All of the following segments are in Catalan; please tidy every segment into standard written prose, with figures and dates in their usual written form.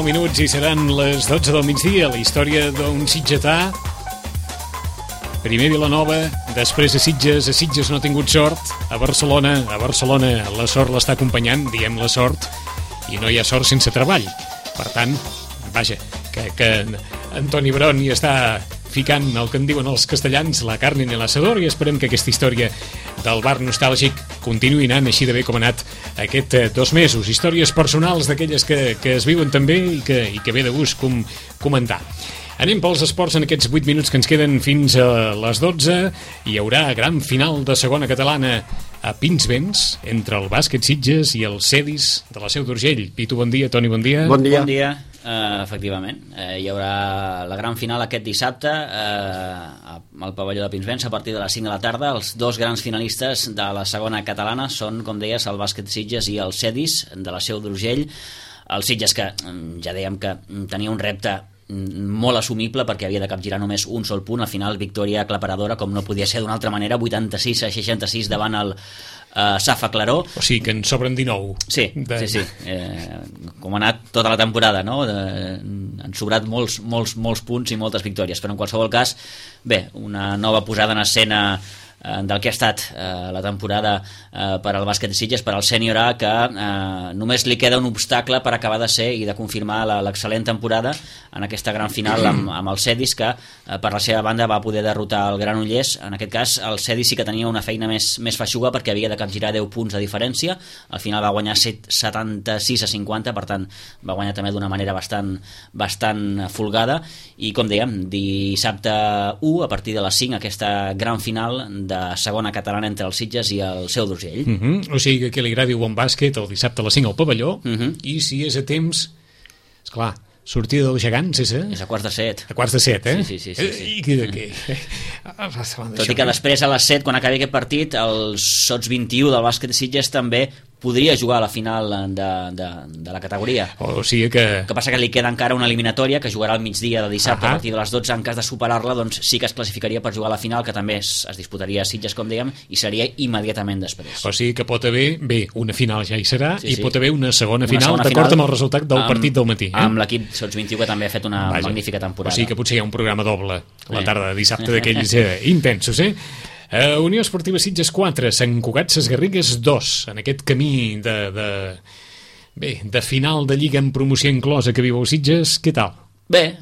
9 minuts i seran les 12 del migdia. La història d'un sitgetà. Primer Vilanova, després a Sitges no ha tingut sort. A Barcelona la sort l'està acompanyant, diem la sort, i no hi ha sort sense treball. Per tant, vaja, que Antoni Bron hi està ficant el que en diuen els castellans, la carn en l'asador, i esperem que aquesta història del bar nostàlgic continuï anant així de bé com ha anat aquest 2 mesos. Històries personals d'aquelles que es viuen també i que ve de gust comentar. Anem pels esports en aquests 8 minuts que ens queden fins a les 12. Hi haurà gran final de segona catalana a Pinsbens entre el Bàsquet Sitges i el Cedis de la Seu d'Urgell. Pitu, bon dia. Toni, bon dia. Bon dia. Efectivament, hi haurà la gran final aquest dissabte al pavelló de Pinsbens a partir de les 5 de la tarda. Els 2 grans finalistes de la segona catalana són, com deies, el Bàsquet Sitges i el Cedis de la Seu d'Urgell. El Sitges, que ja dèiem que tenia un repte molt assumible perquè havia de capgirar només un sol punt. Al final, victòria aclaparadora, com no podia ser d'una altra manera, 86-66 davant el Safa Claró. O sigui que en sobren 19. Sí. Com ha anat tota la temporada, no? Han sobrat molts punts i moltes victòries, però en qualsevol cas, bé, una nova posada en escena del que ha estat la temporada per al Bàsquet Sitges, per al Sènior A, que només li queda un obstacle per acabar de ser i de confirmar l'excel·lent temporada en aquesta gran final amb el Cedis, que per la seva banda va poder derrotar el Granollers. En aquest cas el Cedis sí que tenia una feina més feixuga perquè havia de capgirar 10 punts de diferència. Al final va guanyar 76-50, per tant va guanyar també d'una manera bastant folgada, i com dèiem, dissabte 1 a partir de les 5 aquesta gran final de segona catalana entre els Sitges i el Seu d'Urgell. O sigui que li agradi el bon bàsquet el dissabte a les 5 al pavelló, i si és a temps, esclar, sortida dels gegants és a quarts de 7. A quarts de 7, eh? Sí. Tot i que després a les 7, quan acabi aquest partit, el Sots 21 del Bàsquet Sitges també podria jugar a la final de la categoria. O sigui que... El que passa que li queda encara una eliminatòria que jugarà al migdia de dissabte a partir de les 12. En cas de superar-la, doncs sí que es classificaria per jugar a la final, que també es disputaria a Sitges, com dèiem, i seria immediatament després. O sigui que pot haver, una final ja hi serà, i pot haver una segona final d'acord amb el resultat del partit del matí. Amb l'equip Sots 21, que també ha fet una magnífica temporada. O sigui que potser hi ha un programa doble a la tarda de dissabte d'aquells intensos, Unió Esportiva Sitges 4, Sant Cugat Sesgarrigues 2, en aquest camí de final de Lliga amb promoció inclosa que viu el Sitges. Què tal? Bé.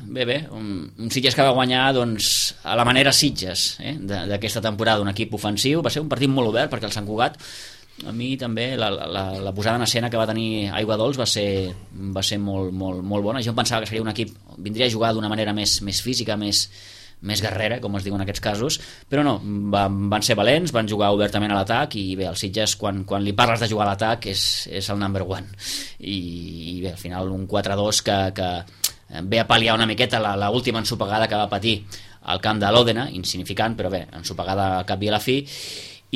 Un Sitges que va guanyar a la manera Sitges d'aquesta temporada, un equip ofensiu. Va ser un partit molt obert perquè el Sant Cugat, a mi també la posada en escena que va tenir Aigua Dols va ser molt bona. Jo em pensava que seria un equip, vindria a jugar d'una manera més física, més guerrera, com es diu en aquests casos, però no, van ser valents, van jugar obertament a l'atac, i bé, el Sitges, quan li parles de jugar a l'atac, és el number one, i bé, al final un 4-2 que ve a pal·liar una miqueta l'última ensopegada que va patir al camp de l'Òdena, insignificant, però bé, ensopegada al cap i a la fi,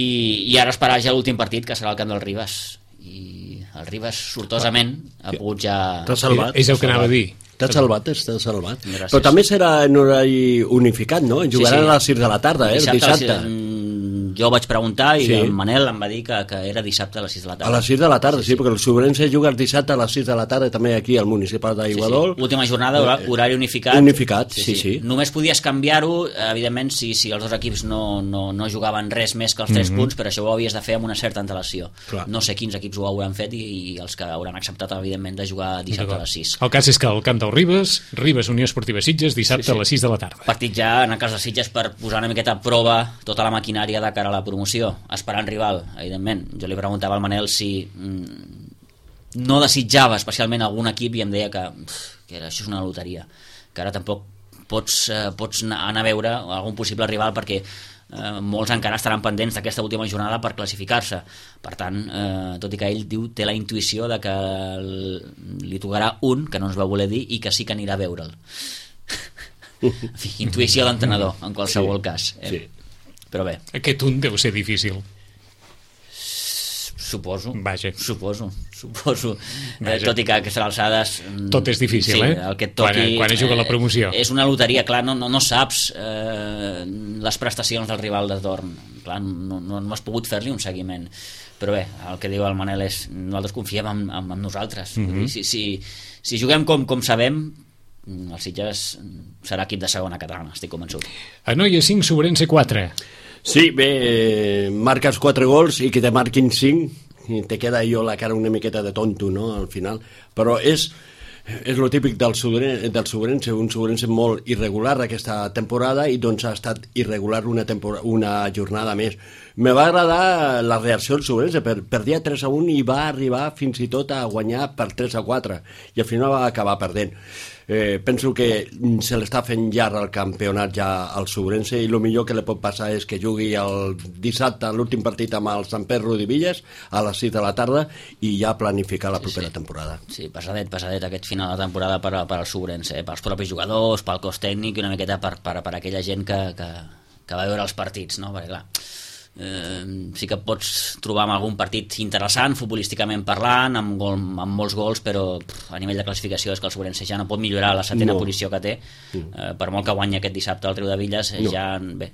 i ara esperar ja l'últim partit, que serà el camp del Ribes, i el Ribes sortosament ha pogut ja... T'ha salvat. És el que anava a dir. T'ha salvat. Gràcies. Però també serà en horari unificat, no? Jugaran a les 6 de la tarda, dissabte. Jo vaig preguntar i el Manel em va dir que era dissabte a les 6 de la tarda. A les 6 de la tarda, sí, perquè el Sobrense juga el dissabte a les 6 de la tarda també aquí al municipal d'Aiguadol. Última jornada, horari unificat. Unificat, sí. Només podies canviar-ho, evidentment, si els dos equips no jugaven res més que els 3 punts, però això ho havies de fer amb una certa antelació. Clar. No sé quins equips ho hauran fet i els que hauran acceptat, evidentment, de jugar dissabte a les 6. El cas és que el camp del Ribes, Unió Esportiva Sitges, dissabte a les 6 de la tarda. Partit ja, en el cas de Sitges, per posar una miqueta a prova tota la maquinària de cara a la promoció, esperant rival, evidentment. Jo li preguntava al Manel si no desitjava especialment algun equip, i em deia que això és una loteria, que ara tampoc pots anar a veure algun possible rival perquè molts encara estaran pendents d'aquesta última jornada per classificar-se. Per tant, tot i que ell té la intuïció de que li tocarà un, que no ens va voler dir, i que sí que anirà a veure'l. En fi, intuïció d'entrenador, en qualsevol cas. Sí. Però bé. Aquest un deu ser difícil. Suposo. Vaja. Suposo. Tot i que a aquestes alçades... Tot és difícil, el que et toqui, quan es juga la promoció. És una loteria, clar, no saps les prestacions del rival de torn. Clar, no has pogut fer-li un seguiment. però bé, el que diu el Manel és nosaltres confiem en nosaltres. Si juguem com sabem, el Sitges serà equip de segona catalana, estic convençut. Anoia 5, Sobrense 4. Sí, bé, marques 4 gols i que te marquin 5 i te queda jo la cara una miqueta de tonto, no?, al final, però és el típic del Sobrense, un Sobrense molt irregular aquesta temporada, i doncs ha estat irregular una jornada més. Me va agradar la reacció del Sobrense, perdia 3-1 i va arribar fins i tot a guanyar per 3-4 i al final va acabar perdent. Penso que se l'està fent llarg el campionat ja al Sobrense, i el millor que li pot passar és que jugui el dissabte l'últim partit amb el Sant Pere Rodivilles a les 6 de la tarda i ja planificar la propera temporada. Sí, pesadet aquest final de temporada per al Sobrense, pels propis jugadors, pel cos tècnic i una miqueta per aquella gent que va veure els partits, no? Perquè clar, sí que pots trobar algun partit interessant futbolísticament parlant, amb molts gols, però a nivell de classificació és que el Sobrense ja no pot millorar la 7ª posició que té. Per molt que guanyi aquest dissabte al Riudevilles, ja bé,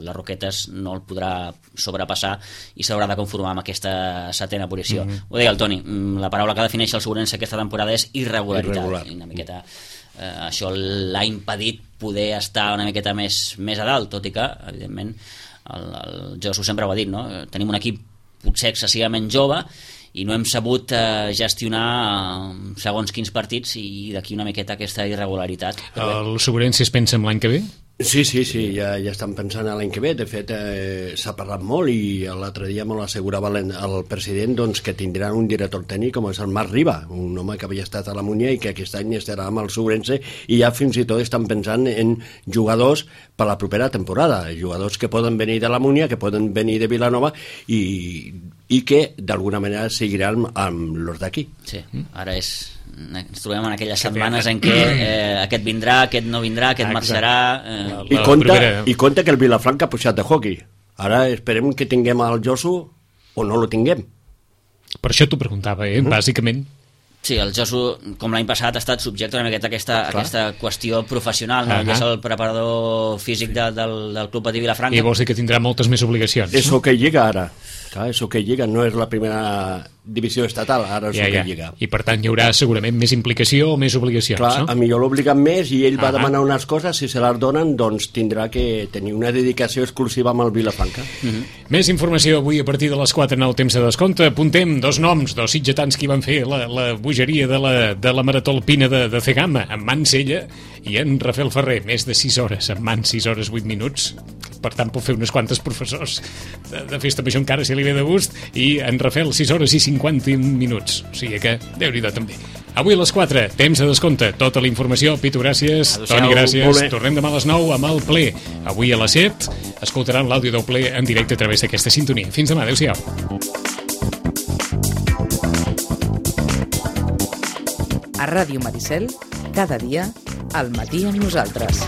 les Roquetes no el podrà sobrepassar i s'haurà de conformar amb aquesta 7ª posició. Ho deia el Toni, la paraula que defineix el Sobrense aquesta temporada és irregularitat. Una miqueta això l'ha impedit poder estar una miqueta més a dalt, tot i que evidentment el Josu sempre ho ha dit, no? Tenim un equip potser excessivament jove i no hem sabut gestionar segons quins partits, i d'aquí una miqueta aquesta irregularitat. El Sobrense es pensa en l'any que ve? Sí, ja estan pensant a l'any que ve. De fet, s'ha parlat molt, i l'altre dia me l'assegurava el president, doncs, que tindran un director tècnic com és el Marc Riba, un home que havia estat a la Múnia i que aquest any estarà amb el Sobrense, i ja fins i tot estan pensant en jugadors per la propera temporada, jugadors que poden venir de la Múnia, que poden venir de Vilanova i que d'alguna manera seguiran amb los d'aquí. Sí, ara ens trobem en aquelles setmanes en què aquest vindrà, aquest no vindrà, aquest marxarà. I compte que el Vilafranca ha pujat de hockey. Ara esperem que tinguem el Josu o no lo tinguem. Per això t'ho preguntava, bàsicament. Sí, el Josu, com l'any passat, ha estat subjecte una miqueta a aquesta qüestió professional, no? Ell és el preparador físic del Club Patí Vilafranca. I vols dir que tindrà moltes més obligacions. Eso que llega ara. Clar, eso que llega no és la primera divisió estatal, ara és que llega. I per tant hi haurà segurament més implicació o més obligacions, clar, no? A millor l'obliguen més i ell va demanar unes coses, si se les donen, doncs tindrà que tenir una dedicació exclusiva amb el Vilafranca. Més informació avui a partir de les 4 en el temps de descompte. Apuntem 2 noms, 2 sitgetans que van fer la bogeria de la marató alpina de Cegama, en Mansella i en Rafael Ferrer, més de 6 hores, en mans 6 hores 8 minuts. Per tant, pot fer unes quantes professors de festa major encara si li ve de gust, i en Rafael 6 hores i 51 minuts. O sigui que, Déu-n'hi-do també. Avui a les 4, temps de descompte. Tota la informació. Pitu, gràcies. Toni, gràcies. Tornem demà a les 9 amb el ple. Avui a les 7 escoltaran l'àudio del ple en directe a través d'aquesta sintonia. Fins demà. Adéu-siau. A Ràdio Maricel, cada dia, al matí amb nosaltres.